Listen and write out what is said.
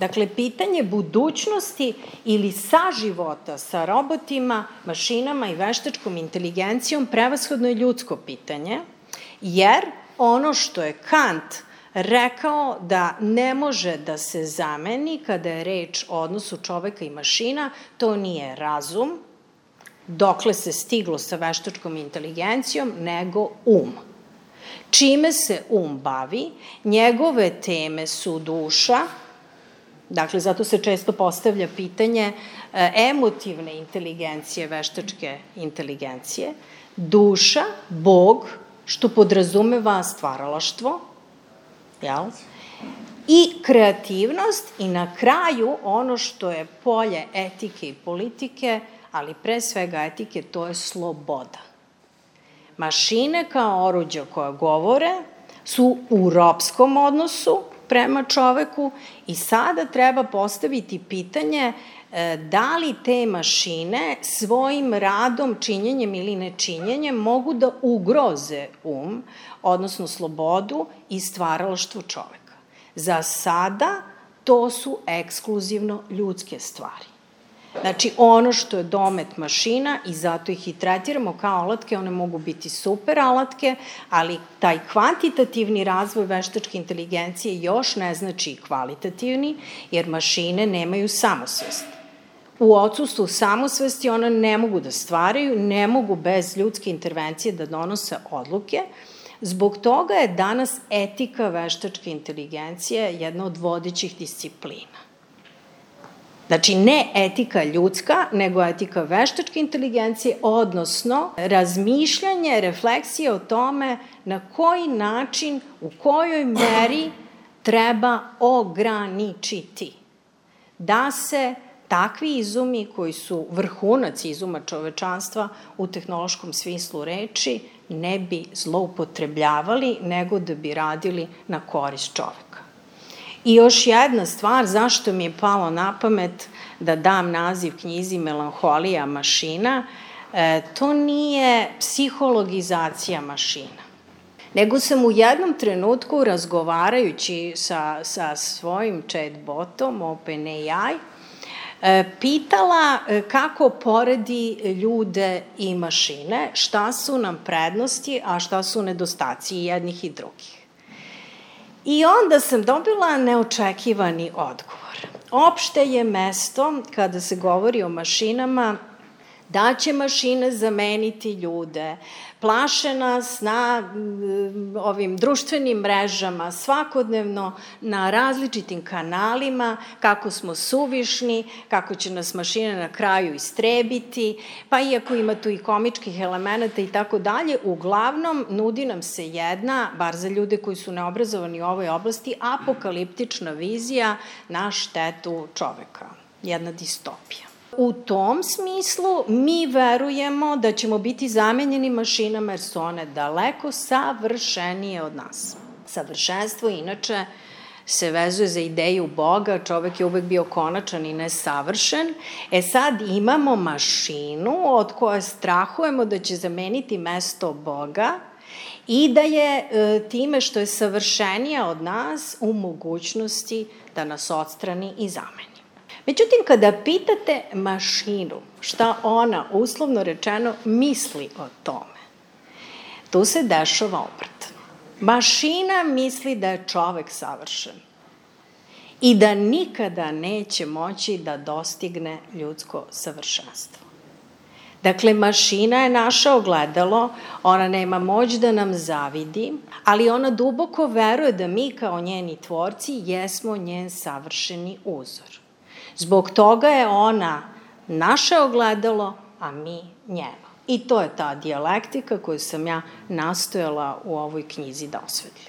Dakle, pitanje budućnosti ili saživota sa robotima, mašinama i veštačkom inteligencijom prevashodno je ljudsko pitanje, jer ono što je Kant rekao da ne može da se zameni kada je reč o odnosu čoveka i mašina, to nije razum, dokle se stiglo sa veštačkom inteligencijom, nego Čime se bavi? Njegove teme su duša, dakle, zato se često postavlja pitanje emotivne inteligencije, veštačke inteligencije, duša, Bog, što podrazumeva stvaralaštvo, i kreativnost i na kraju ono što je polje etike i politike, ali pre svega etike, to je sloboda. Mašine kao oruđa koja govore su u ropskom odnosu prema čoveku i sada treba postaviti pitanje da li te mašine svojim radom, činjenjem ili nečinjenjem mogu da ugroze odnosno slobodu i stvaralaštvo čoveka. Za sada to su ekskluzivno ljudske stvari. Znači, ono što je domet mašina i zato ih i tretiramo kao alatke, one mogu biti super alatke, ali taj kvantitativni razvoj veštačke inteligencije još ne znači kvalitativni, jer mašine nemaju samosvest. U odsustvu samosvesti one ne mogu da stvaraju, ne mogu bez ljudske intervencije da donose odluke. Zbog toga je danas etika veštačke inteligencije jedna od vodećih disciplina. Znači, ne etika ljudska, nego etika veštačke inteligencije, odnosno razmišljanje, refleksije o tome na koji način, u kojoj meri treba ograničiti da se takvi izumi koji su vrhunac izuma čovečanstva u tehnološkom smislu reči ne bi zloupotrebljavali, nego da bi radili na korist čoveka. I još jedna stvar, zašto mi je palo na pamet da dam naziv knjizi Melanholija mašina, to nije psihologizacija mašina, nego sam u jednom trenutku razgovarajući sa svojim chatbotom OpenAI pitala kako poredi ljude i mašine, šta su nam prednosti, a šta su nedostaci i jednih i drugih. I onda sam dobila neočekivani odgovor. Opšte je mesto, kada se govori o mašinama, da će mašine zameniti ljude, plaše nas na ovim društvenim mrežama, svakodnevno na različitim kanalima, kako smo suvišni, kako će nas mašine na kraju istrebiti, pa iako ima tu i komičkih elemenata i tako dalje, uglavnom nudi nam se jedna, bar za ljude koji su neobrazovani u ovoj oblasti, apokaliptična vizija na štetu čoveka, jedna distopija. U tom smislu mi verujemo da ćemo biti zamenjeni mašinama jer su one daleko savršenije od nas. Savršenstvo inače se vezuje za ideju Boga, čovek je uvek bio konačan i nesavršen. Sad imamo mašinu od koje strahujemo da će zameniti mesto Boga i da je time što je savršenija od nas u mogućnosti da nas odstrani i zameni. Međutim, kada pitate mašinu šta ona, uslovno rečeno, misli o tome, tu se dešava obrat. Mašina misli da je čovek savršen i da nikada neće moći da dostigne ljudsko savršenstvo. Dakle, mašina je naše ogledalo, ona nema moć da nam zavidi, ali ona duboko veruje da mi kao njeni tvorci jesmo njen savršeni uzor. Zbog toga je ona naše ogledalo, a mi njeno. I to je ta dijalektika koju sam ja nastojala u ovoj knjizi da osvetlim.